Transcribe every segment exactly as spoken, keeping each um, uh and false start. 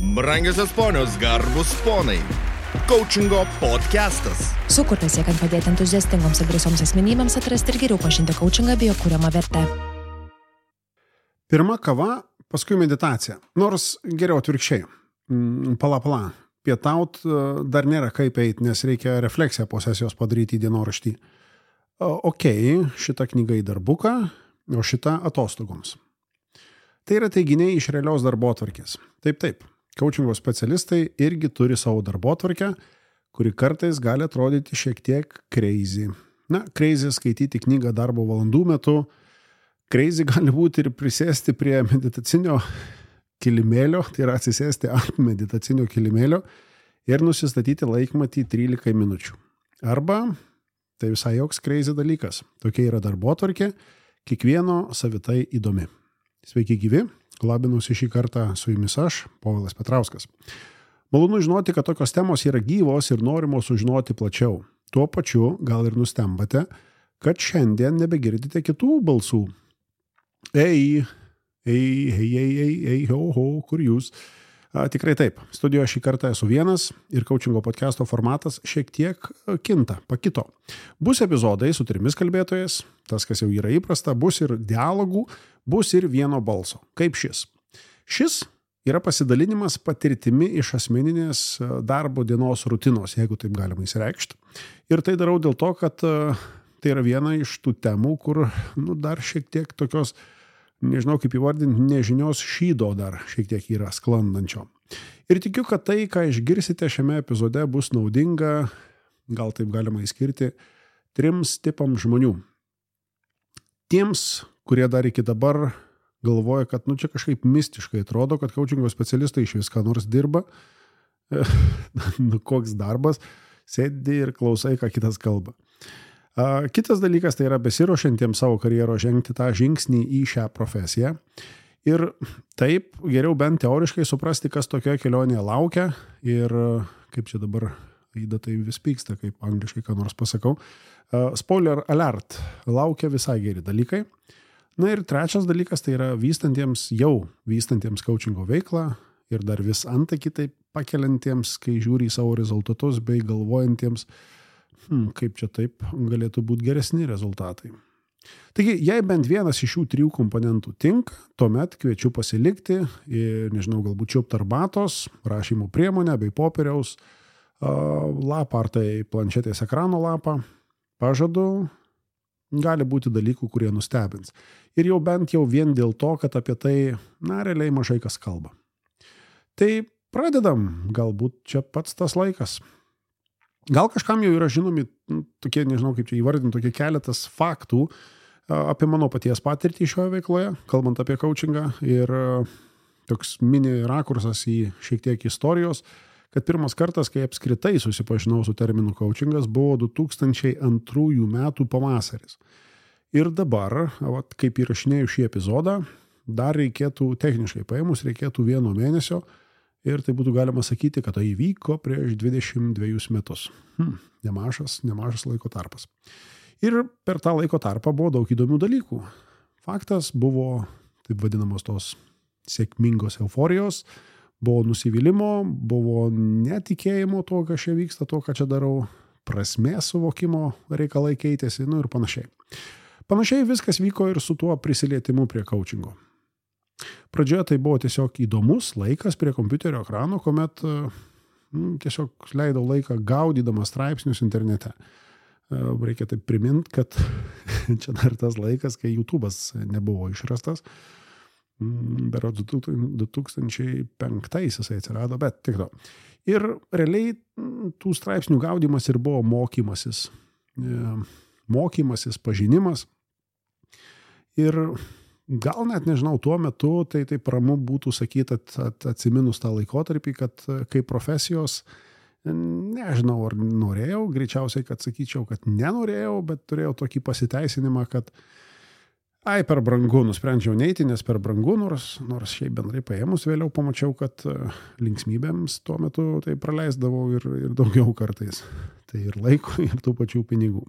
Brangiosios ponios, garbus ponai. Coachingo podcastas. Sukurtas siekiant padėti entuziastingoms ir drąsioms asmenybėms atrasti ir geriau pažinti coachingą bei jo kuriamą vertę. Pirma kava, paskui meditacija. Nors geriau atvirkščiai. Pala, pala. Pietaut dar nėra kaip eiti, nes reikia refleksiją po sesijos padaryti į dienoraštį. Ok, šita knyga į darbuką, o šita atostogoms. Tai yra teiginiai iš realios darbotvarkės. Taip, taip. Coachingo specialistai irgi turi savo darbotvarkę, kuri kartais gali atrodyti šiek tiek crazy. Na, crazy skaityti knygą darbo valandų metu, crazy gali būti ir prisėsti prie meditacinio kilimėlio, tai yra atsisėsti ant meditacinio kilimėlio ir nusistatyti laikmatį trylika minučių. Arba, tai visai joks crazy dalykas, tokia yra darbotvarkė, kiekvieno savitai įdomi. Sveiki gyvi, labinusi šį kartą su jumis aš, Povilas Petrauskas. Malonu žinoti, kad tokios temos yra gyvos ir norimo sužinoti plačiau. Tuo pačiu gal ir nustembate, kad šiandien nebegirdite kitų balsų. Ei, ei, ei, ei, ei, ei, ho, ho, kur jūs? A, tikrai taip, studijoje šį kartą esu vienas ir coachingo podcasto formatas šiek tiek kinta, pakito. Bus epizodai su trimis kalbėtojais, tas, kas jau yra įprasta, bus ir dialogų, bus ir vieno balso, kaip šis. Šis yra pasidalinimas patirtimi iš asmeninės darbo dienos rutinos, jeigu taip galima įsireikšti. Ir tai darau dėl to, kad tai yra viena iš tų temų, kur nu, dar šiek tiek tokios, nežinau kaip įvardinti, nežinios šydo dar šiek tiek yra sklandančio. Ir tikiu, kad tai, ką išgirsite šiame epizode, bus naudinga, gal taip galima įskirti, trims tipams žmonių. Tiems, kurie dar iki dabar galvoja, kad nu, čia kažkaip mistiškai atrodo, kad coachingo specialistai iš viską nors dirba. Nu, koks darbas, sėdi ir klausai, ką kitas kalba. Kitas dalykas tai yra besiruošiantiems savo karjero žengti tą žingsnį į šią profesiją. Ir taip geriau bent teoriškai suprasti, kas tokioje kelionėje laukia. Ir kaip čia dabar Aida tai vis pyksta, kaip angliškai ką nors pasakau. Spoiler alert, laukia visai geri dalykai. Na ir trečias dalykas tai yra vystantiems, jau vystantiems coachingo veiklą ir dar vis antakį taip pakeliantiems, kai žiūri į savo rezultatus bei galvojantiems, Hmm, kaip čia taip galėtų būti geresni rezultatai. Taigi, jei bent vienas iš šių trijų komponentų tinka, tuomet kviečiu pasilikti ir, nežinau, galbūt čiupt arbatos, rašymo priemonę bei popieriaus lapą ar tai planšetės ekrano lapą. Pažadu, gali būti dalykų, kurie nustebins. Ir jau bent jau vien dėl to, kad apie tai, na, realiai mažai kas kalba. Tai pradedam, galbūt čia pats tas laikas. Gal kažkam jau yra žinomi tokie, nežinau kaip čia įvardinti, tokie keletas faktų apie mano paties patirtį šioje veikloje, kalbant apie coachingą ir toks mini rakursas į šiek tiek istorijos, kad pirmas kartas, kai apskritai susipažinau su terminu coachingas, buvo du tūkstančiai antrųjų metų pavasaris. Ir dabar, vat, kaip įrašinėjau šį epizodą, dar reikėtų, techniškai paėmus, reikėtų vieno mėnesio, ir tai būtų galima sakyti, kad tai įvyko prieš dvidešimt dvejus metus. Hmm, nemažas, nemažas laiko tarpas. Ir per tą laiko tarpą buvo daug įdomių dalykų. Faktas buvo, taip vadinamos tos sėkmingos euforijos, buvo nusivylimo, buvo netikėjimo to, kas čia vyksta, to, ką čia darau, prasmės suvokimo reikalai keitėsi, nu ir panašiai. Panašiai viskas vyko ir su tuo prisilietimu prie coachingo. Pradžioje tai buvo tiesiog įdomus laikas prie kompiuterio ekrano, kuomet nu, tiesiog leidau laiką gaudydamas straipsnius internete. Reikia taip priminti, kad čia dar tas laikas, kai YouTube'as nebuvo išrastas. Berods du tūkstančiai penktais jisai atsirado, bet tik to. Ir realiai tų straipsnių gaudymas ir buvo mokymasis. Mokymasis, pažinimas. Ir gal net nežinau, tuo metu tai taip ramu būtų sakyti at, at, atsiminus tą laikotarpį, kad kaip profesijos, nežinau ar norėjau, greičiausiai, kad sakyčiau, kad nenorėjau, bet turėjau tokį pasiteisinimą, kad ai, per brangu, nusprendžiau neiti, nes per brangu, nors, nors šiaip bendrai paėmus, vėliau pamačiau, kad linksmybėms tuo metu tai praleisdavau ir, ir daugiau kartais. Tai ir laiko, ir tų pačių pinigų.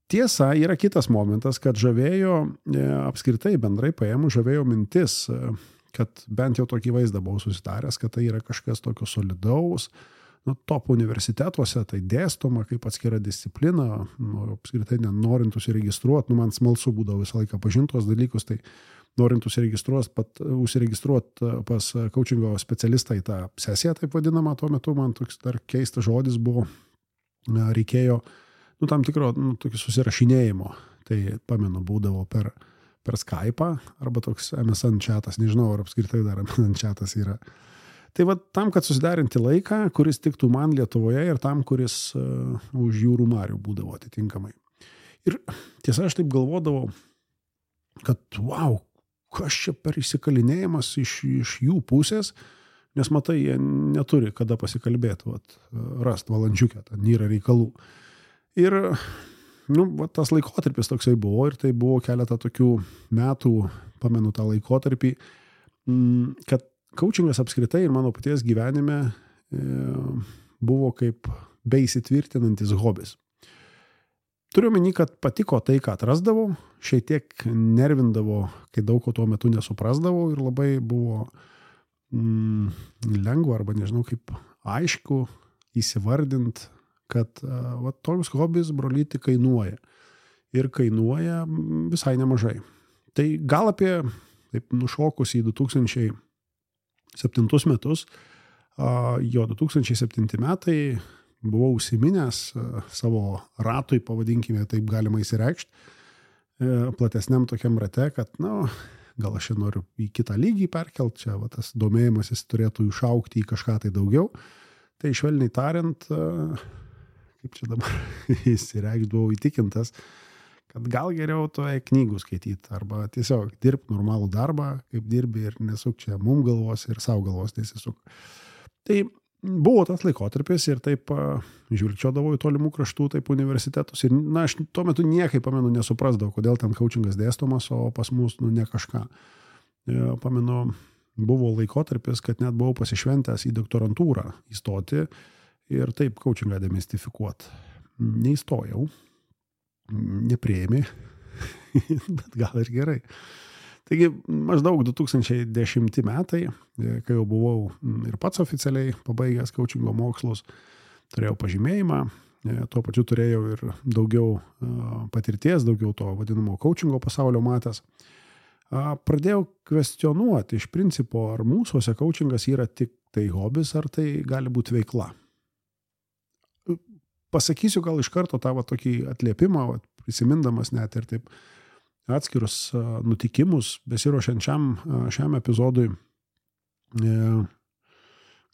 Tiesa, yra kitas momentas, kad žavėjo, apskritai bendrai paėmų, žavėjo mintis, kad bent jau tokį vaizdą buvau susitaręs, kad tai yra kažkas tokio solidaus, nu, top universitetuose tai dėstoma kaip atskira disciplina, nu, apskritai nenorint užsiregistruoti, nu, man smalsu būdavo visą laiką pažintos dalykus, tai norint užsiregistruoti, pat, užsiregistruoti pas coachingo specialistą į tą sesiją, taip vadinamą, tuo metu man toks dar keistas žodis buvo, reikėjo, nu, tam tikro, nu, tokio susirašinėjimo, tai pamenu, būdavo per, per Skype'ą, arba toks M S N chatas, nežinau, ar apskritai dar M S N chatas yra. Tai va, tam, kad susidarinti laiką, kuris tiktų man Lietuvoje ir tam, kuris uh, už jūrų marių būdavo atitinkamai. Ir tiesa, aš taip galvodavau, kad wow, kas čia per įsikalinėjimas iš, iš jų pusės, nes matai, jie neturi kada pasikalbėti, vat, rast valandžiukę, ten yra reikalų. Ir nu, va, tas laikotarpis toksai buvo ir tai buvo keletą tokių metų, pamenu tą laikotarpį, kad coachingas apskritai ir mano paties gyvenime e, buvo kaip beįsitvirtinantis hobis. Turiu omeny, kad patiko tai, ką atrasdavau, šiek tiek nervindavo, kai daug ko tuo metu nesuprasdavau ir labai buvo mm, lengva arba nežinau kaip aišku įsivardint, kad va, toks hobis, brolyti, kainuoja. Ir kainuoja visai nemažai. Tai gal apie, taip nušokus į du tūkstančiai septintus metus, jo du tūkstančiai septinti metai buvau užsiminęs savo ratui, pavadinkime, taip galima įsireikšti, platesniam tokiam rate, kad, na, gal aš čia noriu į kitą lygį perkelt, čia va, tas domėjimasis turėtų išaugti į kažką tai daugiau. Tai švelniai tariant, kaip čia dabar įsireikšti, buvau įtikintas, kad gal geriau toje knygų skaityti arba tiesiog dirbti normalų darbą, kaip dirbi ir nesuk čia mum galvos ir savo galvos nesisuk. Tai buvo tas laikotarpis ir taip žiūrčiodavau į tolimų kraštų, taip universitetus ir, na, aš tuo metu niekai, pamenu, nesuprasdavau, kodėl ten coachingas dėstomas, o pas mus, nu, ne kažką. Pamenu, buvo laikotarpis, kad net buvau pasišventęs į doktorantūrą įstoti ir taip coachingą demistifikuoti. Neįstojau. Nepriėmė, bet gal ir gerai. Taigi, maždaug du tūkstančiai dešimti metai, kai jau buvau ir pats oficialiai pabaigęs coachingo mokslus, turėjau pažymėjimą, tuo pačiu turėjau ir daugiau patirties, daugiau to vadinamo coachingo pasaulio matęs. Pradėjau kvestionuoti iš principo, ar mūsuose coachingas yra tik tai hobis, ar tai gali būti veikla. Pasakysiu gal iš karto tą va, tokį atliepimą, va, prisimindamas net ir taip atskirus nutikimus, besiruošiant šiam, šiam epizodui,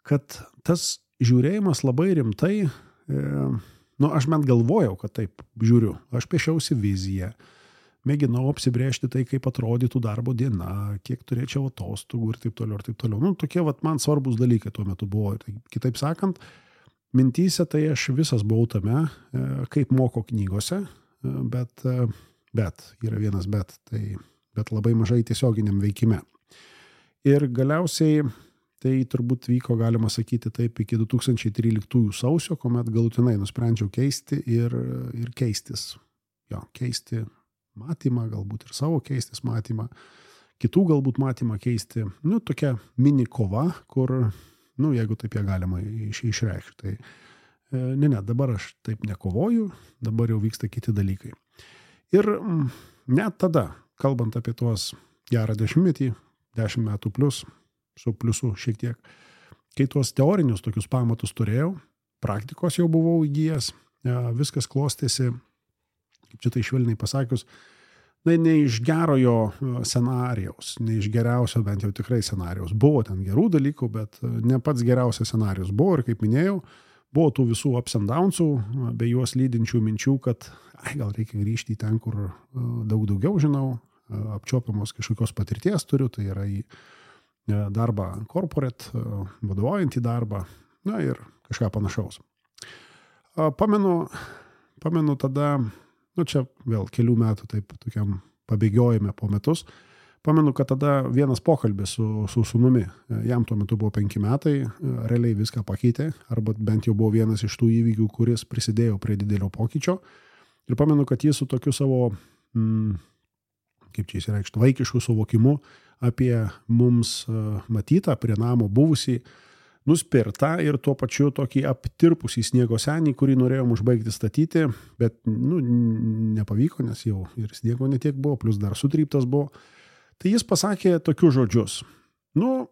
kad tas žiūrėjimas labai rimtai, nu, aš bent galvojau, kad taip žiūriu, aš piešiausi viziją, mėginau apsibrėžti tai, kaip atrodytų darbo diena, kiek turėčiau atostogų ir taip toliau ir taip toliau. Nu, tokie vat, man svarbus dalykai tuo metu buvo. Tai, kitaip sakant, mintyse tai aš visas buvau tame, kaip moko knygose, bet, bet, yra vienas bet, tai, bet labai mažai tiesioginiam veikime. Ir galiausiai tai turbūt vyko, galima sakyti, taip iki du tūkstančiai tryliktųjų sausio, kuomet galutinai nusprendžiau keisti ir, ir keistis. Jo, keisti matymą, galbūt ir savo keistis matymą, kitų galbūt matymą keisti. Nu, tokia mini kova, kur nu, jeigu taip ją galima iš, išreikšti. Tai, ne, ne, dabar aš taip nekovoju, dabar jau vyksta kiti dalykai. Ir net tada, kalbant apie tuos gerą dešimtmetį, dešimt metų plus, su pliusu šiek tiek, kai tuos teorinius tokius pamatus turėjau, praktikos jau buvau įgijęs, viskas klostėsi, kaip čia tai švelniai pasakius, na, ne iš gerojo scenarijaus, ne iš geriausio bent jau tikrai scenarijaus. Buvo ten gerų dalykų, bet ne pats geriausias scenarijus buvo ir, kaip minėjau, buvo tų visų ups and downsų, bei juos lydinčių minčių, kad ai, gal reikia grįžti į ten, kur daug daugiau žinau, apčiopiamos kažkokios patirties turiu, tai yra į darbą corporate, vadovaujant į darbą, na ir kažką panašaus. Pamenu, pamenu tada, nu čia vėl kelių metų taip tokiam pabėgiojime po metus, pamenu, kad tada vienas pokalbis su, su sūnumi, jam tuo metu buvo penki metai, realiai viską pakeitė, arba bent jau buvo vienas iš tų įvykių, kuris prisidėjo prie didelio pokyčio. Ir pamenu, kad jis su tokiu savo mm, kaip čia įsireikšti, vaikiškų suvokimų apie mums matytą, prie namo buvusį, nuspirtą ir tuo pačiu tokį aptirpusį sniego senį, kurį norėjom užbaigti statyti, bet nu, nepavyko, nes jau ir sniego netiek buvo, plus dar sutryptas buvo. Tai jis pasakė tokius žodžius. Nu,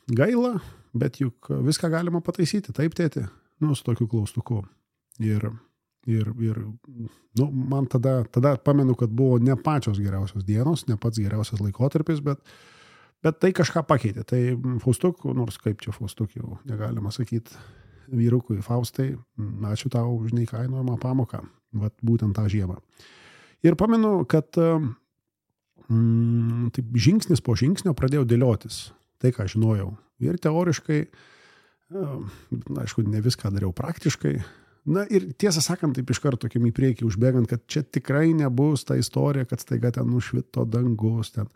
gaila, bet juk viską galima pataisyti, taip tėti, nu, su tokiu klaustuku. Ir, ir, ir nu, man tada, tada pamenu, kad buvo ne pačios geriausios dienos, ne pats geriausias laikotarpis, bet Bet tai kažką pakeitė. Tai Faustuk, nors kaip čia Faustuk jau negalima sakyti vyrukui Faustai, ačiū tau už neįkainojamą pamoką, vat būtent tą žiemą. Ir pamenu, kad mm, taip, žingsnis po žingsnio pradėjau dėliotis tai, ką žinojau. Ir teoriškai, aišku, ne viską dariau praktiškai. Na ir tiesą sakant, taip iš karto tokiam į priekį užbėgant, kad čia tikrai nebus ta istorija, kad staiga ten nušvito dangus, ten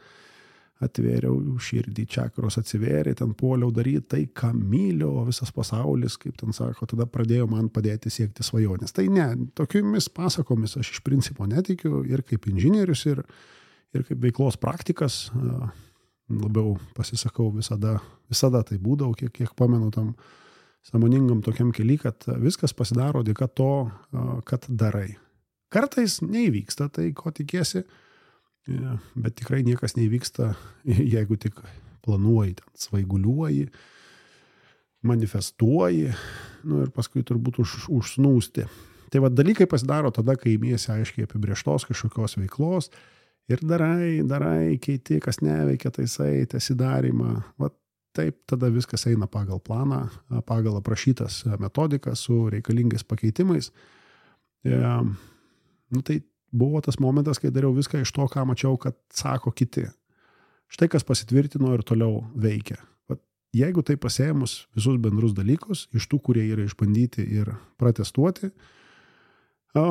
atvėriau širdį, čakros atsivėrė, ten puoliau daryti tai, ką myliu, o visas pasaulis, kaip ten sako, tada pradėjo man padėti siekti svajonės. Tai ne, tokiomis pasakomis aš iš principo netikiu ir kaip inžinierius, ir, ir kaip veiklos praktikas, labiau pasisakau visada, visada tai būdavo, kiek, kiek pamenu tam sąmoningam tokiam kely, kad viskas pasidaro dėka to, kad darai. Kartais neįvyksta tai, ko tikiesi, bet tikrai niekas neįvyksta, jeigu tik planuoji, ten, svaiguliuoji, manifestuoji, nu ir paskui turbūt už, užsnūsti. Tai va dalykai pasidaro tada, kai imiesi aiškiai apibrėžtos kažkokios veiklos ir darai, darai, keiti, kas neveikia, taisai, tesidarymą. Va taip tada viskas eina pagal planą, pagal aprašytas metodikas su reikalingais pakeitimais. E, nu tai buvo tas momentas, kai dariau viską iš to, ką mačiau, kad sako kiti. Štai kas pasitvirtino ir toliau veikia. Vat, jeigu tai pasėmus visus bendrus dalykus, iš tų, kurie yra išbandyti ir pratestuoti, o,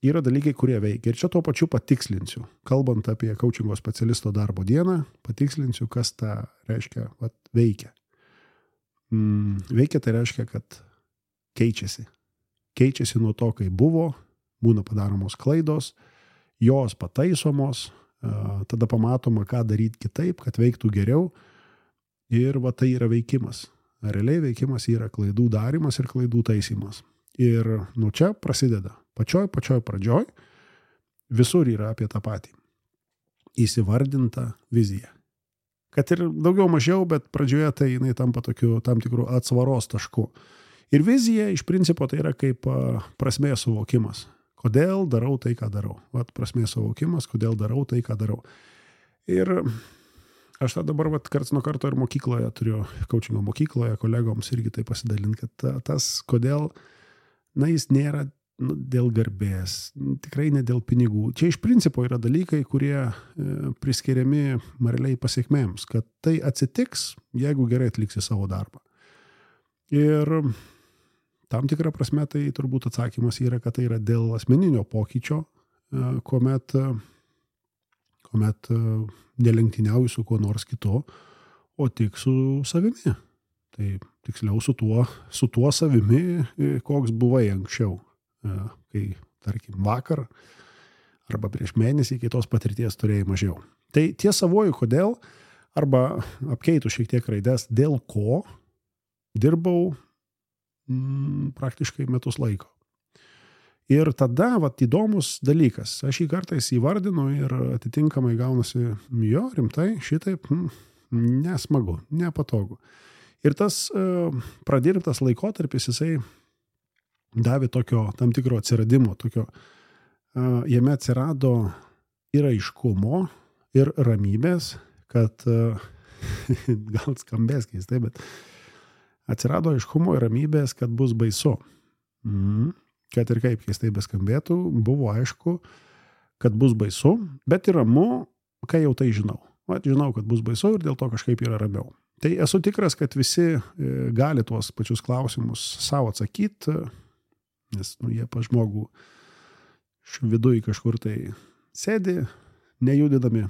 yra dalykai, kurie veikia. Ir čia tuo pačiu patikslinsiu. Kalbant apie coachingo specialisto darbo dieną, patikslinsiu, kas tą reiškia, vat, veikia. Mm, veikia tai reiškia, kad keičiasi. Keičiasi nuo to, kai buvo, būna padaromos klaidos, jos pataisomos, tada pamatoma, ką daryti kitaip, kad veiktų geriau. Ir va tai yra veikimas. Realiai veikimas yra klaidų darymas ir klaidų taisymas. Ir nuo čia prasideda. Pačioj, pačioj pradžioj visur yra apie tą patį. Įsivardinta vizija. Kad ir daugiau mažiau, bet pradžioje tai jinai tampa tokiu tam tikrų atsvaros tašku. Ir vizija iš principo tai yra kaip prasmės suvokimas. Kodėl darau tai, ką darau. Vat prasmės suvokimas, kodėl darau tai, ką darau. Ir aš tą dabar vat, karts nuo karto ir mokykloje turiu, coachingo mokykloje, kolegoms irgi tai pasidalinti, kad tas, kodėl, na, jis nėra nu, dėl garbės, tikrai ne dėl pinigų. Čia iš principo yra dalykai, kurie e, priskiriami realiai pasiekmėms, kad tai atsitiks, jeigu gerai atliksi savo darbą. Ir tam tikrą prasme tai turbūt atsakymas yra, kad tai yra dėl asmeninio pokyčio, kuomet, kuomet nelenktyniauju su kuo nors kitu, o tik su savimi. Tai tiksliau su tuo, su tuo savimi, koks buvai anksčiau, kai, tarkim, vakar arba prieš mėnesį, kai tos patirties turėjai mažiau. Tai tie savoju kodėl, arba apkeitų šiek tiek raides, dėl ko dirbau mm, praktiškai metus laiko. Ir tada, vat, įdomus dalykas, aš jį kartais įvardinu ir atitinkamai gaunasi, jo, rimtai, šitaip, mm, nesmagu, nepatogu. Ir tas uh, pradirbtas laikotarpis, jisai davė tokio tam tikro atsiradimo, tokio, uh, jame atsirado ir aiškumo, ir ramybės, kad, uh, gal skambės keistai, bet atsirado aiškumo ir ramybės, kad bus baisu. Mm. Kad ir kaip keistai beskambėtų, buvo aišku, kad bus baisu, bet ir ramu, kai jau tai žinau. Vat, žinau, kad bus baisu ir dėl to kažkaip yra ramiau. Tai esu tikras, kad visi gali tuos pačius klausimus savo atsakyti, nes nu, jie pa žmogų viduj kažkur tai sėdi, nejudinami.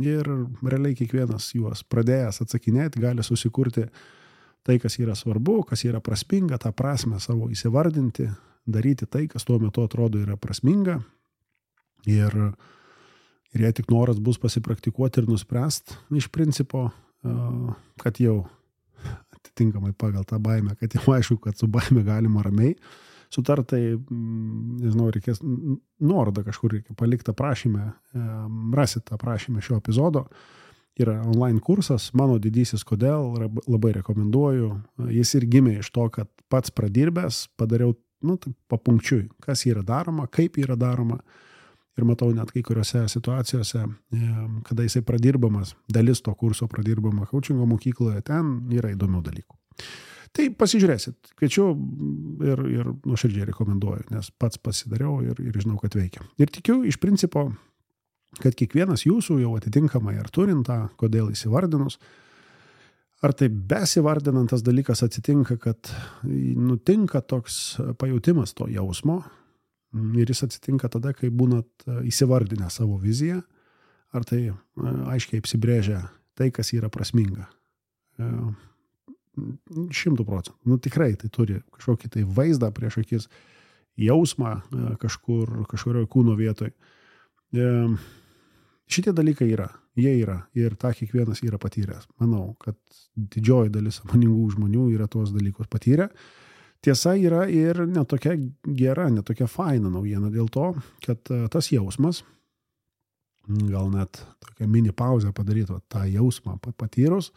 Ir realiai kiekvienas juos pradėjęs atsakinėti gali susikurti tai, kas yra svarbu, kas yra prasminga, tą prasmę savo įsivardinti, daryti tai, kas tuo metu atrodo yra prasminga. Ir, Ir jei tik noras bus pasipraktikuoti ir nuspręst, iš principo, kad jau atitinkamai pagal tą baimę, kad jau aišku, kad su baime galima ramiai sutartai, nežinau, reikės nuorodą kažkur reikia palikti aprašymę, rasit aprašymę šio epizodo. Yra online kursas, mano didysis kodėl, labai rekomenduoju. Jis ir gimė iš to, kad pats pradirbęs padariau, nu, tai papunkčiui, kas yra daroma, kaip yra daroma. Ir matau net kai kuriuose situacijose, kada jisai pradirbamas, dalis to kurso pradirbama coachingo mokykloje, ten yra įdomių dalykų. Tai pasižiūrėsit, kviečiu ir, ir nuoširdžiai rekomenduoju, nes pats pasidariau ir, ir žinau, kad veikia. Ir tikiu iš principo, kad kiekvienas jūsų jau atitinkamai ar turint tą, kodėl įsivardinus, ar tai besivardinantas dalykas atsitinka, kad nutinka toks pajautimas to jausmo, ir jis atsitinka tada, kai būnat įsivardinę savo viziją, ar tai aiškiai apsibrėžia tai, kas yra prasminga. Šimtų procentų. Nu tikrai tai turi kažkokį tai vaizdą prieš akis, jausmą kažkur, kažkurioje kūno vietoj. Šitie dalykai yra, jie yra ir tą kiekvienas yra patyręs. Manau, kad didžioji dalis sąmoningų žmonių yra tuos dalykus patyrę. Tiesa yra ir netokia gera, netokia faina naujiena dėl to, kad tas jausmas, gal net tokia mini pauzę padarytų, tą jausmą patyrus,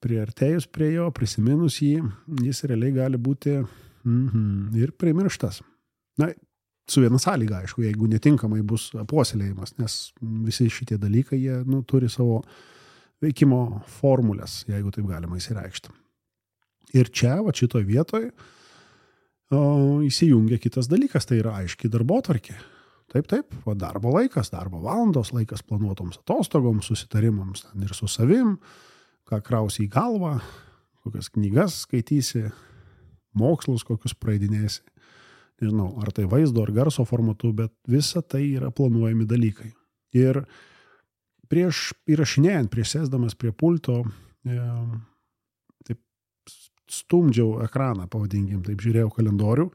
priartėjus prie jo, prisiminus jį, jis realiai gali būti mm-hmm, ir primirštas. Na, su viena sąlyga, aišku, jeigu netinkamai bus puoselėjimas, nes visi šitie dalykai, jie nu, turi savo veikimo formulės, jeigu taip galima įsireikšti. Ir čia, va šitoj vietoj, o, įsijungia kitas dalykas, tai yra aiški darbotvarkė. Taip, taip, va, darbo laikas, darbo valandos, laikas planuotoms atostogoms, susitarimams ten ir su savim, ką krausi į galvą, kokias knygas skaitysi, mokslus kokius praeidinėsi, nežinau, ar tai vaizdo ar garso formatu, bet visa tai yra planuojami dalykai. Ir prieš įrašinėjant, prieš sėsdamas prie pulto, e, stumdžiau ekraną, pavadinkim, taip žiūrėjau kalendorių,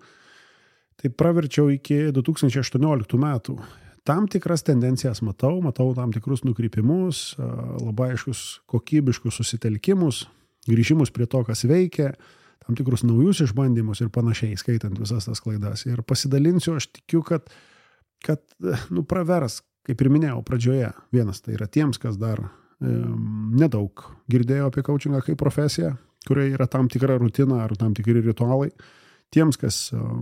taip praverčiau iki du tūkstančiai aštuonioliktų metų. Tam tikras tendencijas matau, matau tam tikrus nukrypimus, labai aiškus kokybiškus susitelkimus, grįžimus prie to, kas veikia, tam tikrus naujus išbandymus ir panašiai, skaitant visas tas klaidas. Ir pasidalinsiu, aš tikiu, kad, kad nu, pravers, kaip ir minėjau pradžioje, vienas tai yra tiems, kas dar e, nedaug girdėjo apie coachingą kaip profesiją, kurioje yra tam tikra rutina ar tam tikri ritualai. Tiems, kas uh,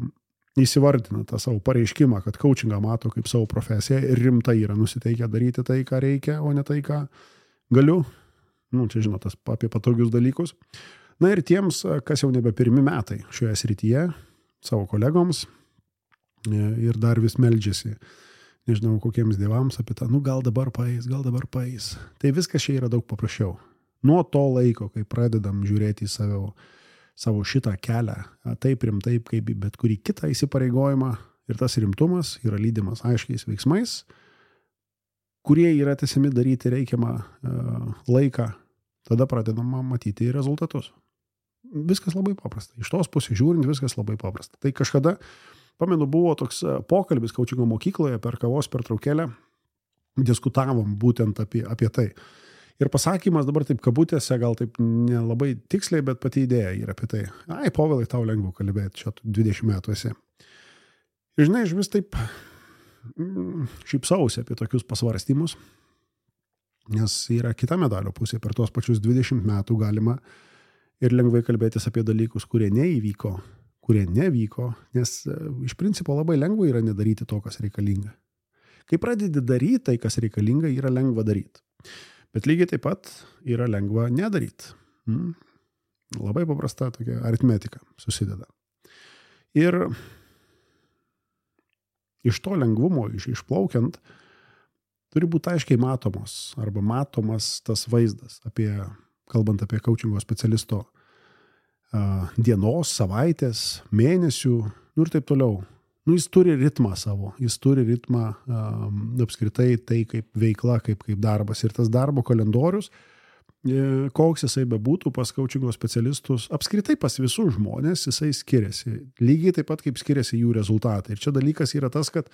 įsivardina tą savo pareiškimą, kad coachingą mato kaip savo profesiją ir rimtai yra nusiteikę daryti tai, ką reikia, o ne tai, ką galiu. Nu, čia žinot, tas apie patogius dalykus. Na ir tiems, kas jau nebe pirmi metai šioje srityje, savo kolegoms ir dar vis meldžiasi, nežinau, kokiems dievams apie tą, nu gal dabar paeis, gal dabar paeis. Tai viskas čia yra daug paprasčiau. Nuo to laiko, kai pradedam žiūrėti į savo, savo šitą kelią, taip rimtai, kaip bet kurį kitą įsipareigojimą, ir tas rimtumas yra lydimas aiškiais veiksmais, kurie yra tiesiami daryti reikiamą uh, laiką, tada pradedama matyti rezultatus. Viskas labai paprasta. Iš tos pusės žiūrint, viskas labai paprasta. Tai kažkada, pamenu, buvo toks pokalbis coachingo mokykloje per kavos pertraukėlę, diskutavom būtent apie, apie tai. Ir pasakymas dabar taip kabutėse, gal taip nelabai tiksliai, bet pati idėja yra apie tai. Ai, Povilai, tau lengviau kalbėti, čia dvidešimt metų esi. Ir žinai, aš vis taip šypsausi apie tokius pasvarstymus, nes yra kita medalio pusė. Per tuos pačius dvidešimt metų galima ir lengvai kalbėtis apie dalykus, kurie neįvyko, kurie nevyko, nes iš principo labai lengva yra nedaryti to, kas reikalinga. Kai pradedi daryti tai, kas reikalinga, yra lengva daryti. Bet lygiai taip pat yra lengva nedaryti. Hmm. Labai paprasta tokia aritmetika susideda. Ir iš to lengvumo, iš, išplaukiant, turi būti aiškiai matomos arba matomas tas vaizdas, apie, kalbant apie coachingo specialisto uh, dienos, savaitės, mėnesių, nu ir taip toliau. Nu, jis turi ritmą savo, jis turi ritmą um, apskritai tai kaip veikla, kaip, kaip darbas. Ir tas darbo kalendorius, e, koks jisai bebūtų pas coachingo specialistus, apskritai pas visus žmonės jisai skiriasi. Lygiai taip pat kaip skiriasi jų rezultatai. Ir čia dalykas yra tas, kad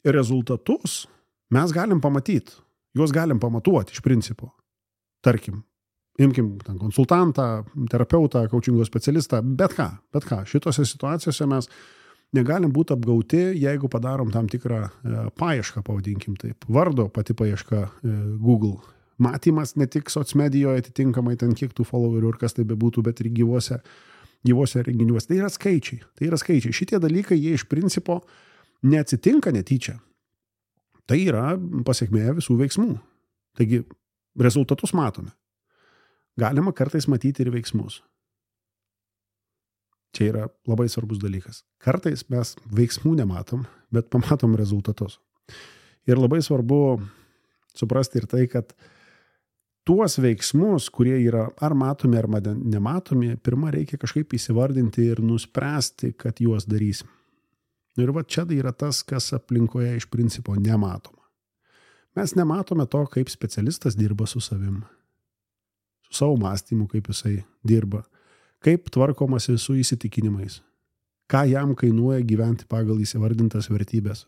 rezultatus mes galim pamatyti, juos galim pamatuoti iš principo. Tarkim, imkim ten konsultantą, terapeutą, coachingo specialistą, bet ką, bet ką. Šitose situacijose mes negalim būti apgauti, jeigu padarom tam tikrą e, paiešką, pavadinkim taip. Vardo pati paieška e, Google. Matymas ne tik socmedijoje atitinkamai ten kiek tų followerių ir kas tai bebūtų, bet ir gyvuose, gyvuose renginiuose. Tai yra skaičiai. Tai yra skaičiai. Šitie dalykai, jie iš principo neatsitinka netyčia. Tai yra pasiekmė visų veiksmų. Taigi rezultatus matome. Galima kartais matyti ir veiksmus. Čia yra labai svarbus dalykas. Kartais mes veiksmų nematom, bet pamatom rezultatus. Ir labai svarbu suprasti ir tai, kad tuos veiksmus, kurie yra ar matomi, ar nematomi, pirmą reikia kažkaip įsivardinti ir nuspręsti, kad juos darysim. Ir va čia yra tas, kas aplinkoje iš principo nematoma. Mes nematome to, kaip specialistas dirba su savim, su savo mąstymu, kaip jisai dirba, kaip tvarkomasi su įsitikinimais, ką jam kainuoja gyventi pagal įsivardintas vertybės.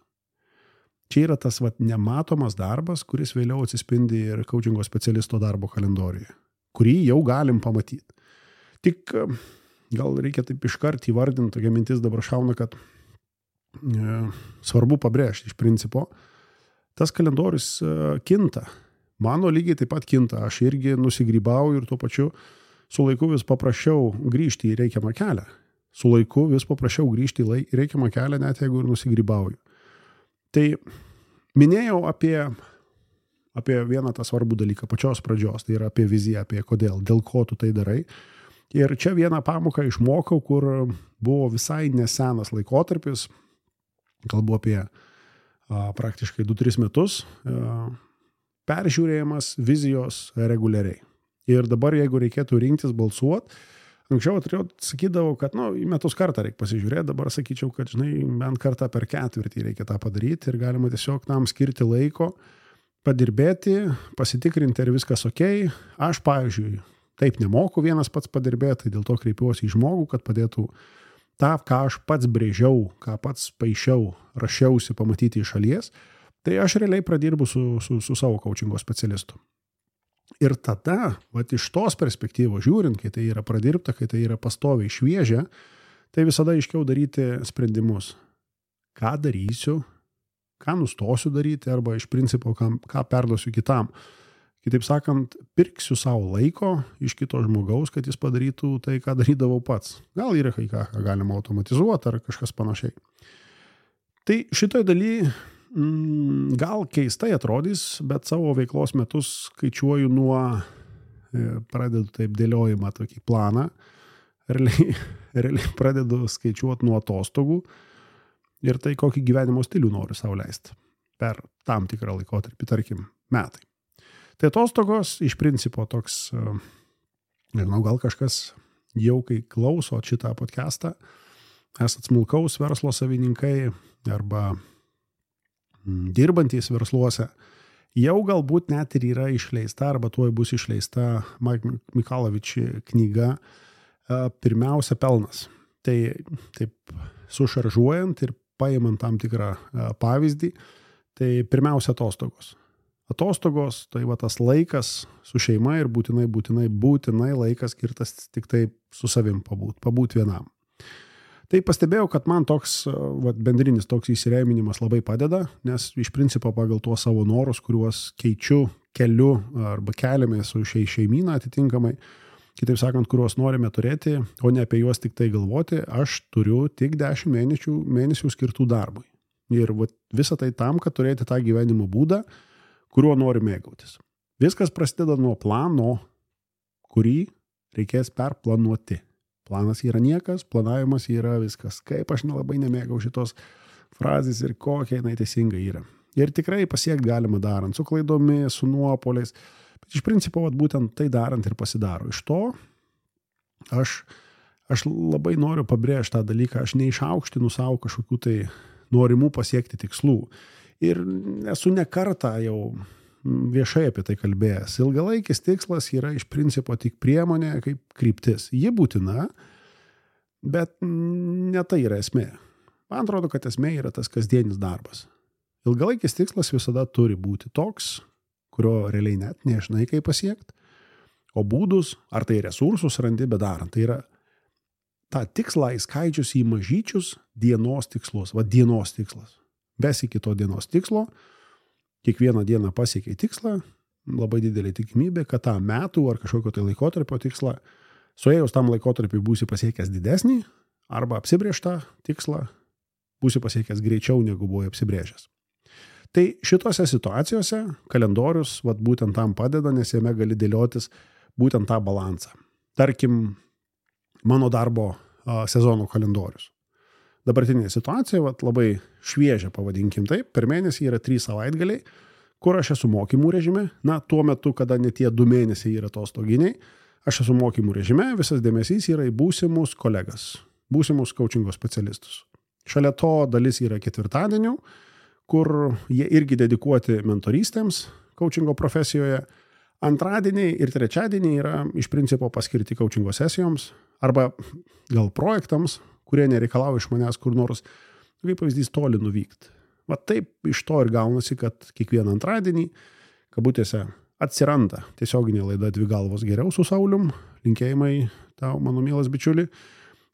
Čia yra tas vat, nematomas darbas, kuris vėliau atsispindi ir coachingo specialisto darbo kalendoriuje, kurį jau galim pamatyti. Tik gal reikia taip iškart įvardinti, tokia mintis dabar šauna, kad e, svarbu pabrėžti iš principo, tas kalendorius e, kinta. Mano lygiai taip pat kinta, aš irgi nusigrybauju ir tuo pačiu su laiku vis paprašiau grįžti į reikiamą kelią. Su laiku vis paprašiau grįžti į reikiamą kelią, net jeigu ir nusigrybauju. Tai minėjau apie, apie vieną tą svarbų dalyką, pačios pradžios, tai yra apie viziją, apie kodėl, dėl ko tu tai darai. Ir čia vieną pamoką išmokau, kur buvo visai nesenas laikotarpis, kalbu apie a, praktiškai du tris metus, a, peržiūrėjimas vizijos reguliariai. Ir dabar, jeigu reikėtų rinktis balsuoti, anksčiau atrodo, sakydavau, kad nu, į metus kartą reikia pasižiūrėti, dabar sakyčiau, kad žinai, bent kartą per ketvirtį reikia tą padaryti ir galima tiesiog tam skirti laiko, padirbėti, pasitikrinti, ar viskas ok. Aš, pavyzdžiui, taip nemoku vienas pats padirbėti, tai dėl to kreipiuosi į žmogų, kad padėtų tą, ką aš pats brėžiau, ką pats paišiau, rašiausi pamatyti iš šalies, tai aš realiai pradirbu su, su, su savo coachingo specialistu. Ir tada, vat iš tos perspektyvos žiūrint, kai tai yra pradirbta, kai tai yra pastoviai šviežia, tai visada aiškiau daryti sprendimus. Ką darysiu, ką nustosiu daryti, arba iš principo, ką, ką perduosiu kitam. Kitaip sakant, pirksiu savo laiko iš kito žmogaus, kad jis padarytų tai, ką darydavau pats. Gal yra kai ką, ką galima automatizuoti ar kažkas panašiai. Tai šitoj daly gal keistai atrodys, bet savo veiklos metus skaičiuoju nuo, pradedu taip dėliojimą tokį planą, realiai, realiai pradedu skaičiuoti nuo atostogų ir tai kokį gyvenimo stilių noriu sau leisti per tam tikrą laikotarpį, tarkim, metai. Tai atostogos iš principo toks, nežinau, gal kažkas jau kai klauso šitą podcastą, esat smulkaus verslo savininkai arba dirbantys versluose, jau galbūt net ir yra išleista arba tuoj bus išleista Mike Michalowicz knyga Pirmiausia pelnas. Tai taip sušaržuojant ir paimant tam tikrą pavyzdį, tai pirmiausia atostogos. Atostogos, tai va tas laikas su šeima ir būtinai, būtinai, būtinai laikas skirtas tik taip su savim pabūt, pabūt vienam. Tai pastebėjau, kad man toks va, bendrinis toks įsireiminimas labai padeda, nes iš principo pagal tuos savo norus, kuriuos keičiu, keliu arba keliame su šiai šeimyną atitinkamai, kitaip sakant, kuriuos norime turėti, o ne apie juos tik tai galvoti, aš turiu tik dešimt mėnesių, mėnesių skirtų darbui. Ir va, visą tai tam, kad turėti tą gyvenimo būdą, kuriuo nori mėgautis. Viskas prasideda nuo plano, kurį reikės perplanuoti. Planas yra niekas, planavimas yra viskas. Kaip aš nelabai nemėgau šitos frazės ir kokia jinai teisinga yra. Ir tikrai pasiekti galima darant, su klaidomis, su nuopoliais. Bet iš principo, vat, būtent tai darant ir pasidaro. Iš to aš, aš labai noriu pabrėžti tą dalyką, aš neišaukštinu savo kažkokių tai norimų pasiekti tikslų. Ir esu ne kartą jau viešai apie tai kalbėjęs. Ilgalaikis tikslas yra iš principo tik priemonė kaip kryptis. Ji būtina, bet ne tai yra esmė. Man atrodo, kad esmė yra tas kasdienis darbas. Ilgalaikis tikslas visada turi būti toks, kurio realiai net nežinai, kaip pasiekti, o būdus, ar tai resursus randi bedarant. Tai yra tą tikslą įskaidžius į mažyčius dienos tikslus, va dienos tikslas. Besiki to dienos tikslo, kiekvieną dieną pasiekiai tikslą, labai didelė tikimybė, kad tą metų ar kažkokio tai laikotarpio tikslą, suėjus tam laikotarpiu būsi pasiekęs didesnį, arba apsibrėžtą tikslą būsi pasiekęs greičiau, negu buvai apsibrėžęs. Tai šitose situacijose kalendorius vat, būtent tam padeda, nes jame gali dėliotis būtent tą balansą. Tarkim, mano darbo a, sezono kalendorius. Dabartinė situacija, vat, labai šviežia, pavadinkim taip, per mėnesį yra trys savaitgaliai, kur aš esu mokymų režime, na, tuo metu, kada ne tie du mėnesiai yra atostoginiai, aš esu mokymų režime, visas dėmesys yra į būsimus kolegas, būsimus coachingo specialistus. Šalia to dalis yra ketvirtadienių, kur jie irgi dedikuoti mentorystėms coachingo profesijoje. Antradieniai ir trečiadieniai yra iš principo paskirti coachingo sesijoms arba gal projektams, kurie nereikalauja iš manęs kur nors, kaip pavyzdys, toli nuvykti. Va taip iš to ir gaunasi, kad kiekvieną antradienį, kabutėse, atsiranda tiesioginė laida Dvi galvos geriau su Saulium, linkėjimai tau, mano mielas bičiuli,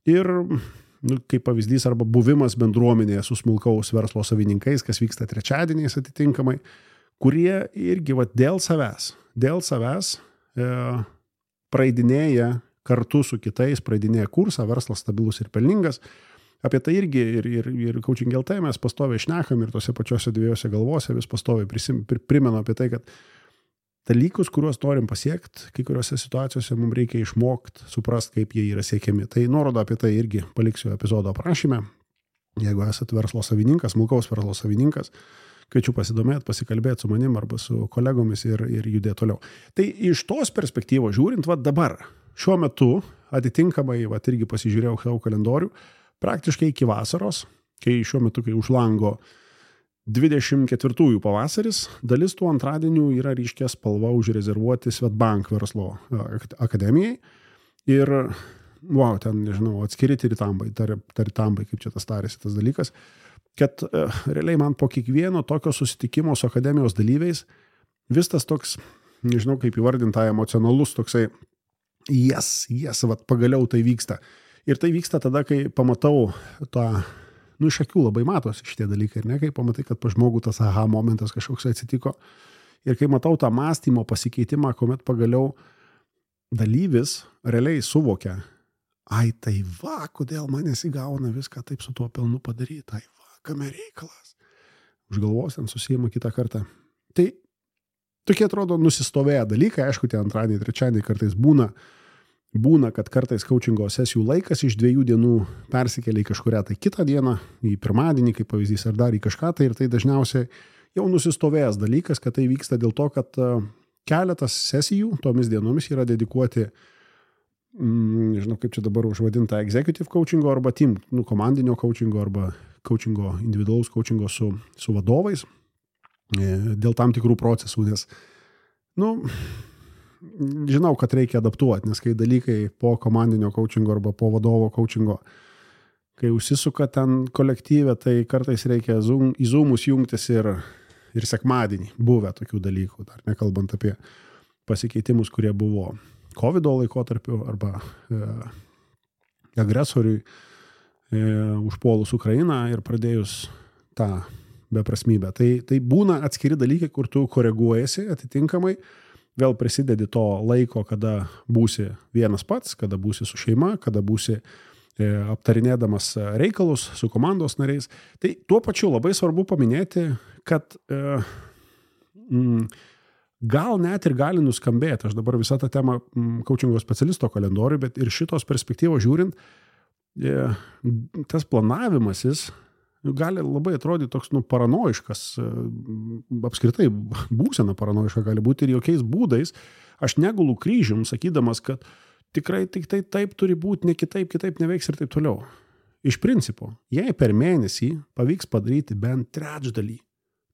ir nu, kaip pavyzdys arba buvimas bendruomenėje su smulkaus verslo savininkais, kas vyksta trečiadieniais atitinkamai, kurie irgi va, dėl savęs, dėl savęs e, praeidinėja kartu su kitais, praeidinėja kursą, verslas stabilus ir pelningas. Apie tai irgi ir, ir, ir Coaching L T mes pastoviai šnekam ir tose pačiose dviejose galvose vis pastoviai prisim, primenu apie tai, kad dalykus, kuriuos norim pasiekti, kai kuriuose situacijose mums reikia išmokti, suprasti, kaip jie yra siekiami. Tai nuorodą apie tai irgi paliksiu epizodo aprašyme. Jeigu esat verslo savininkas, smulkaus verslo savininkas, kviečiu pasidomėti, pasikalbėti su manim arba su kolegomis ir, ir judėti toliau. Tai iš tos perspektyvos žiūrint, va dabar, šiuo metu, atitinkamai, va irgi pasižiūrėjau savo kalendorių, praktiškai iki vasaros, kai šiuo metu, kai už lango dvidešimt ketvirtųjų pavasaris, dalis tų antradienių yra ryškia spalva užrezervuoti Swedbank verslo akademijai. Ir, wow, ten, nežinau, atskiri taritambai, taritambai, kaip čia tas tarėsi tas dalykas, kad uh, realiai man po kiekvieno tokio susitikimo su akademijos dalyviais vis tas toks, nežinau kaip įvardinta, emocionalus toksai, jes, jes, vat pagaliau tai vyksta. Ir tai vyksta tada, kai pamatau tą, nu iš akių labai matosi šitie dalykai, ir ne, kai pamatai, kad pa žmogų tas aha momentas kažkoks atsitiko. Ir kai matau tą mąstymo pasikeitimą, kuomet pagaliau dalyvis realiai suvokia, ai tai va, kodėl man nesigauna viską taip su tuo pelnu padaryti, ai va, kame reikalas. Už galvos ten susijima kitą kartą. Tai tokie atrodo nusistovėję dalykai, aišku, tie antradieniai, trečiadieniai kartais būna, būna, kad kartais coachingo sesijų laikas iš dviejų dienų persikelia į kažkurią tai kitą dieną, į pirmadienį, kaip pavyzdys, ar dar į kažką tai, ir tai dažniausiai jau nusistovėjęs dalykas, kad tai vyksta dėl to, kad keletas sesijų tomis dienomis yra dedikuoti, mm, nežinau kaip čia dabar užvadinta, executive coachingo arba team, nu, komandinio coachingo arba coachingo, individualaus coachingo su, su vadovais dėl tam tikrų procesų, nes, nu, žinau, kad reikia adaptuoti, nes kai dalykai po komandinio coachingo arba po vadovo coachingo, kai užsisuka ten kolektyve, tai kartais reikia zoom, į zoomus jungtis ir, ir sekmadienį buvę tokių dalykų, dar nekalbant apie pasikeitimus, kurie buvo kovido laikotarpiu arba e, agresoriui e, užpuolus Ukrainą ir pradėjus tą beprasmybę. Tai, tai būna atskiri dalykai, kur tu koreguojasi atitinkamai, vėl prisidedi to laiko, kada būsi vienas pats, kada būsi su šeima, kada būsi e, aptarinėdamas reikalus su komandos nariais. Tai tuo pačiu labai svarbu paminėti, kad e, m, gal net ir gali nuskambėti, aš dabar visą tą temą m, coachingo specialisto kalendorių, bet ir šitos perspektyvos žiūrint, e, tas planavimasis gali labai atrodyti toks, nu, paranoiškas, apskritai būsena paranoiška gali būti ir jokiais būdais. Aš negulu kryžium, sakydamas, kad tikrai tik tai taip turi būti, ne kitaip, kitaip neveiks ir taip toliau. Iš principo, jei per mėnesį pavyks padaryti bent trečdalį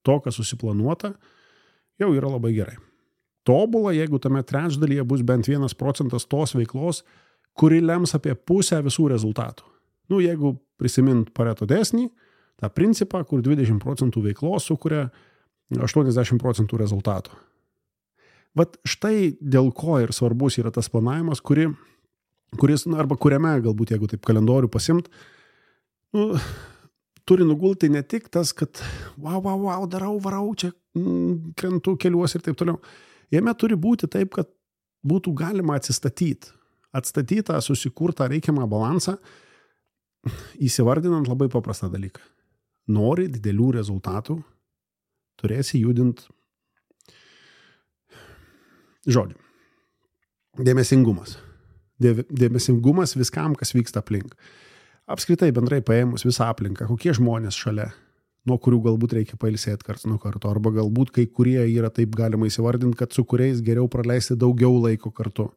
to, kas susiplanuota, jau yra labai gerai. Tobula, jeigu tame trečdalyje bus bent vienas procentas tos veiklos, kuri lems apie pusę visų rezultatų. Nu, jeigu prisimint Pareto dėsnį, tą principą, kur dvidešimt procentų veiklos sukuria aštuoniasdešimt procentų rezultatų. Vat štai dėl ko ir svarbus yra tas planavimas, kuri, kuris, nu, arba kuriame, galbūt jeigu taip kalendorių pasimt, nu, turi nugulti ne tik tas, kad wow, wow, wow, darau, varau, čia mm, krentu keliuos ir taip toliau. Jame turi būti taip, kad būtų galima atsistatyti. Atstatytą, susikurtą reikiamą balansą, įsivardinant labai paprastą dalyką. Nori didelių rezultatų, turėsi judint žodžiu. Dėmesingumas. Dėmesingumas viskam, kas vyksta aplink. Apskritai bendrai paėmus visą aplinką, kokie žmonės šalia, nuo kurių galbūt reikia pailsėti karts nuo karto, arba galbūt kai kurie yra taip galima įsivardinti, kad su kuriais geriau praleisti daugiau laiko kartu.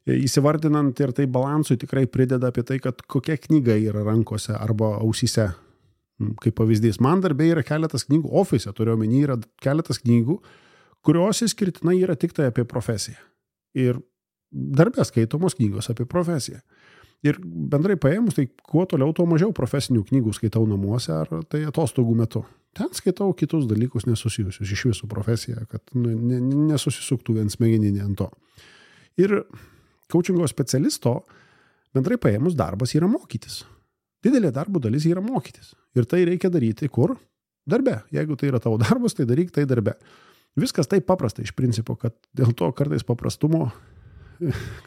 Įsivardinant ir tai balansui tikrai prideda apie tai, kad kokia knyga yra rankose arba ausyse. Kaip pavyzdys, man darbė yra keletas knygų, ofise turiu omeny, yra keletas knygų, kurios įskirtinai yra tik tai apie profesiją. Ir darbė skaitomos knygos apie profesiją. Ir bendrai paėmus, tai kuo toliau, tuo mažiau profesinių knygų skaitau namuose ar tai atostogų metu. Ten skaitau kitus dalykus nesusijusius iš visų profesiją, kad nu, ne, nesusisuktų vien smegeninė ant to. Ir coachingo specialisto bendrai paėmus darbas yra mokytis. Didelė darbo dalis yra mokytis. Ir tai reikia daryti kur? Darbe. Jeigu tai yra tavo darbas, tai daryk tai darbe. Viskas taip paprasta iš principo, kad dėl to kartais paprastumo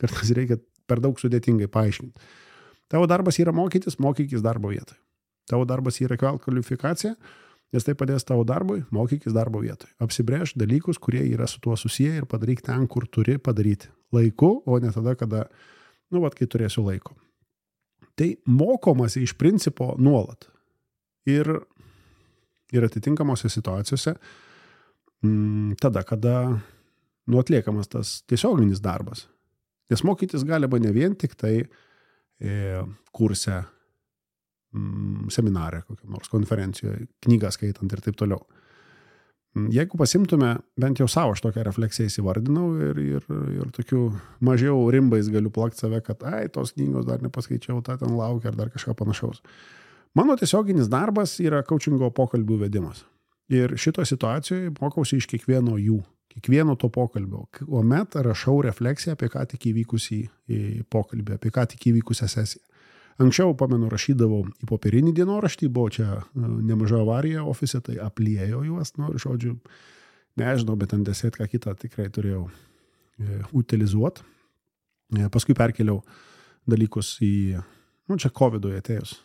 kartais reikia per daug sudėtingai paaiškinti. Tavo darbas yra mokytis, mokykis darbo vietoje. Tavo darbas yra kelt kvalifikaciją, nes tai padės tavo darbui, mokykis darbo vietoje. Apsibrėž dalykus, kurie yra su tuo susiję ir padaryk ten, kur turi padaryti. Laiku, o ne tada, kada, nu, vat, kai turėsiu laiko. Tai mokomasi iš principo nuolat. Ir, ir atitinkamose situacijose m, tada, kada nu, atliekamas tas tiesioginis darbas. Nes mokytis galima ne vien tik tai e, kurse, m, seminare, kokiam nors konferencijoje, knygą skaitant ir taip toliau. Jeigu pasimtume, bent jau savo aš tokią refleksiją įsivardinau ir, ir, ir tokių mažiau rimbais galiu plakti save, kad ai, tos knygos dar nepaskaičiau, tą ten laukia ar dar kažką panašaus. Mano tiesioginis darbas yra coachingo pokalbių vedimas. Ir šito situacijoje mokausi iš kiekvieno jų, kiekvieno to pokalbio. Kuomet rašau refleksiją apie ką tik įvykusį pokalbį, apie ką tik įvykusią sesiją. Anksčiau, pamenu, rašydavau į popierinį dienoraštį, buvo čia nemaža avarija ofise, tai apliejau juos, nu, žodžiu, nežinau, bet ant desėt ką kitą tikrai turėjau e, utilizuoti. E, paskui perkeliau dalykus į, nu, čia covidui atėjus,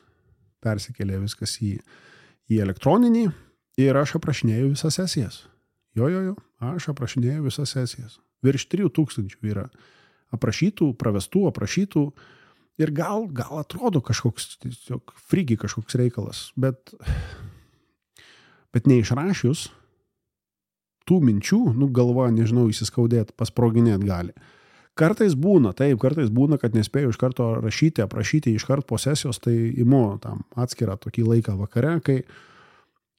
persikėlė viskas į, į elektroninį ir aš aprašinėjau visas sesijas. Jo, jo, jo, aš aprašinėjau visas sesijas. Virš trijų tūkstančių yra aprašytų, pravestų, aprašytų. Ir gal, gal atrodo kažkoks, tiesiog frigi kažkoks reikalas, bet, bet neišrašius tų minčių, nu galva, nežinau, įsiskaudėti, pasproginėti gali. Kartais būna, taip, kartais būna, kad nespėjau iš karto rašyti, aprašyti iš karto po sesijos, tai imu tam atskirą tokį laiką vakare, kai,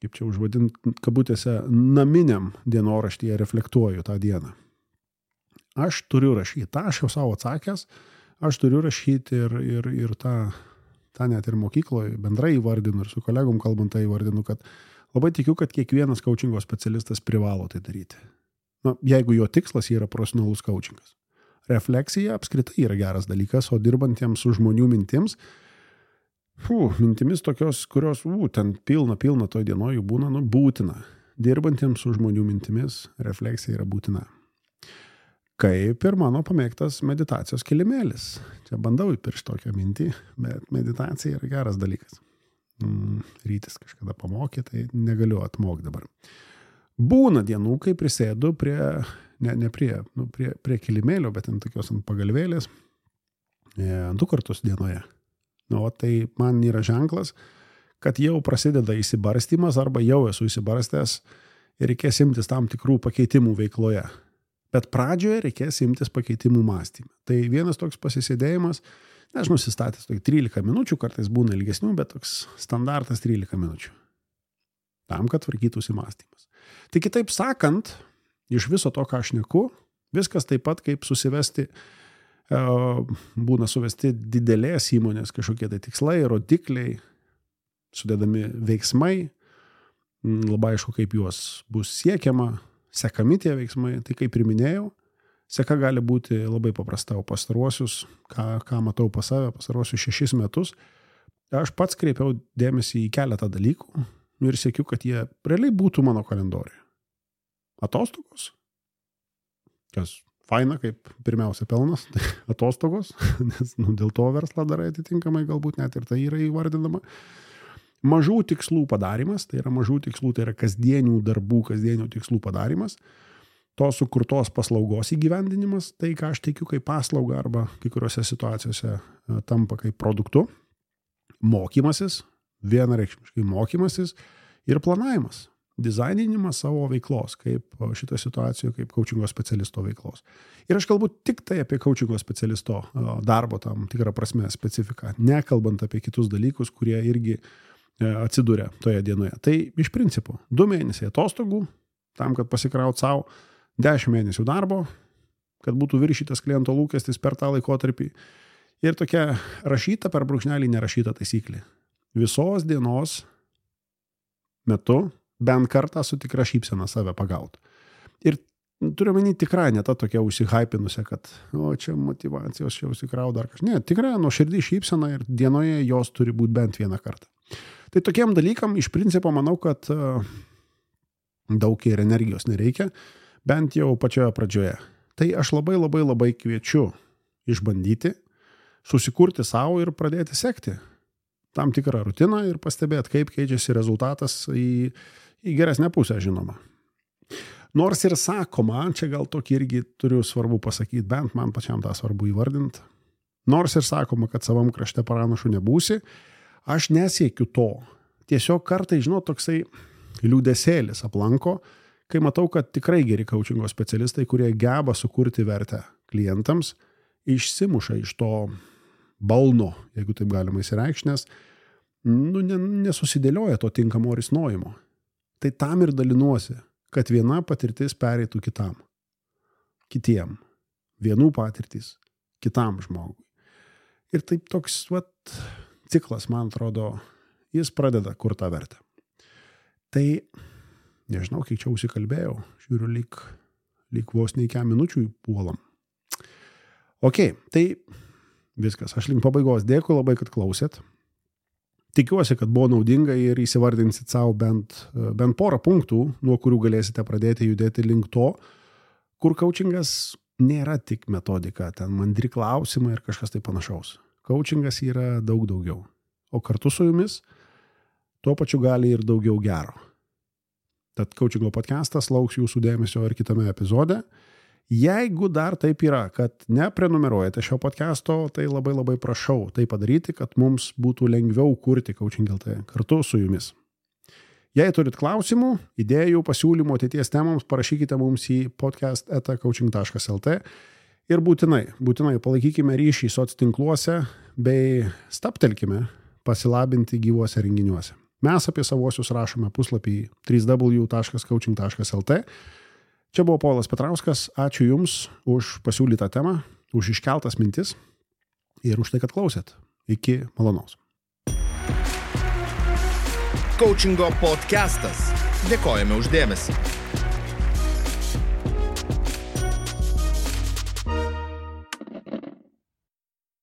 kaip čia užvadint, kabutėse, naminiam dienoraštyje reflektuoju tą dieną. Aš turiu rašyti, tą aš jau savo atsakęs, aš turiu rašyti ir, ir, ir tą, tą net ir mokykloje bendrai įvardinu ir su kolegom kalbant tai įvardinu, kad labai tikiu, kad kiekvienas coachingo specialistas privalo tai daryti. Na, jeigu jo tikslas yra profesionalus coachingas. Refleksija apskritai yra geras dalykas, o dirbantiems su žmonių mintims, fū, mintimis tokios, kurios, ū, ten pilna, pilna toj dienoj jų būna, nu, būtina. Dirbantiems su žmonių mintimis refleksija yra būtina. Kaip ir mano pamėgtas meditacijos kilimėlis. Čia bandau įpiršti tokią mintį, bet meditacija yra geras dalykas. Mm, rytis kažkada pamokė, tai negaliu atmokti dabar. Būna dienų, kai prisėdu prie, ne, ne prie, nu, prie, prie kilimėlio, bet ant tokios ant pagalvėlės, e, du kartus dienoje. Nu, o tai man yra ženklas, kad jau prasideda įsibarstymas arba jau esu įsibarstęs ir reikės imtis tam tikrų pakeitimų veikloje. Bet pradžioje reikės imtis pakeitimų mąstymą. Tai vienas toks pasisėdėjimas, aš nusistatęs tokį trylika minučių, kartais būna ilgesnių, bet toks standartas trylika minučių. Tam, kad tvarkytųsi mąstymas. Tai kitaip sakant, iš viso to, ką aš šneku, viskas taip pat kaip susivesti, būna suvesti didelės įmonės kažkokie tai tikslai, rodikliai, sudėdami veiksmai, labai aišku, kaip juos bus siekiama, sekami tie veiksmai, tai kaip ir minėjau, seka gali būti labai paprasta, o pastaruosius, ką, ką matau pas save, pastaruosius šešis metus, aš pats kreipiau dėmesį į keletą dalykų ir siekiu, kad jie realiai būtų mano kalendoriuje. Atostogos, kas faina, kaip pirmiausia pelnas, tai atostogos, nes nu, dėl to verslą darai atitinkamai, galbūt net ir tai yra įvardinama. Mažų tikslų padarimas, tai yra mažų tikslų, tai yra kasdienių darbų, kasdienių tikslų padarimas, to sukurtos paslaugos įgyvendinimas, tai ką aš teikiu kaip paslaugą arba kai kuriuose situacijose tampa kaip produktu, mokymasis, vienareikšmiškai mokymasis ir planavimas, dizaininimas savo veiklos, kaip šitoje situacijoje, kaip coachingo specialisto veiklos. Ir aš kalbu tik tai apie coachingo specialisto darbo tam tikrą prasme specifiką, nekalbant apie kitus dalykus, kurie irgi atsiduria toje dienoje. Tai iš principo du mėnesiai atostogų, tam, kad pasikraut savo, dešimt mėnesių darbo, kad būtų viršytas kliento lūkestis per tą laikotarpį. Ir tokia rašyta per brūkšnelį nerašyta taisyklė. Visos dienos metu bent kartą su tikra šypsena save pagaut. Ir turiu menį tikrai ne ta tokia užsihaipinusia, kad o čia motyvacijos, čia užsikrau dar kažkas. Ne, tikrai nuoširdį šypsena ir dienoje jos turi būti bent vieną kartą. Tai tokiem dalykam iš principo manau, kad uh, daug ir energijos nereikia, bent jau pačioje pradžioje. Tai aš labai labai labai kviečiu išbandyti, susikurti savo ir pradėti sekti tam tikrą rutiną ir pastebėti, kaip keičiasi rezultatas į, į geresnę pusę, žinoma. Nors ir sakoma, čia gal tokį irgi turiu svarbu pasakyti, bent man pačiam tą svarbu įvardinti, nors ir sakoma, kad savam krašte pranašu nebūsi, aš nesiekiu to. Tiesiog kartai, žinot, toksai liūdesėlis aplanko, kai matau, kad tikrai geri coachingo specialistai, kurie geba sukurti vertę klientams, išsimuša iš to balno, jeigu taip galima įsireikšti, nes nu, nesusidėlioja to tinkamo risnojimo. Tai tam ir dalinuosi, kad viena patirtis pereitų kitam, kitiem, vienų patirtis kitam žmogui. Ir taip toks vat, ciklas, man atrodo, jis pradeda kur tą vertę. Tai, nežinau, kiek čia užsikalbėjau, žiūriu, lyg, lyg vos neįkia minučių puolam. Ok, tai viskas, aš link pabaigos dėkui labai, kad klausėt. Tikiuosi, kad buvo naudinga ir įsivardinsit savo bent, bent porą punktų, nuo kurių galėsite pradėti judėti link to, kur coachingas nėra tik metodika, ten mandri klausimai ir kažkas tai panašaus. Coachingas yra daug daugiau, o kartu su jumis tuo pačiu gali ir daugiau gero. Tad coachingo podcastas lauks jūsų dėmesio ir kitame epizode. Jeigu dar taip yra, kad neprenumeruojate šio podcasto, tai labai labai prašau tai padaryti, kad mums būtų lengviau kurti Coaching L T kartu su jumis. Jei turit klausimų, idėjų, pasiūlymų ateities temoms, parašykite mums į podcast eta coaching taškas el te ir būtinai, būtinai palaikykime ryšį soctinkluose bei staptelkime pasilabinti gyvuose renginiuose. Mes apie savosius rašome puslapį w w w taškas coaching taškas el te. Čia buvo Povilas Petrauskas. Ačiū Jums už pasiūlytą temą, už iškeltas mintis ir už tai, kad klausėt. Iki malonaus. Coachingo podcastas. Dėkojame už dėmesį.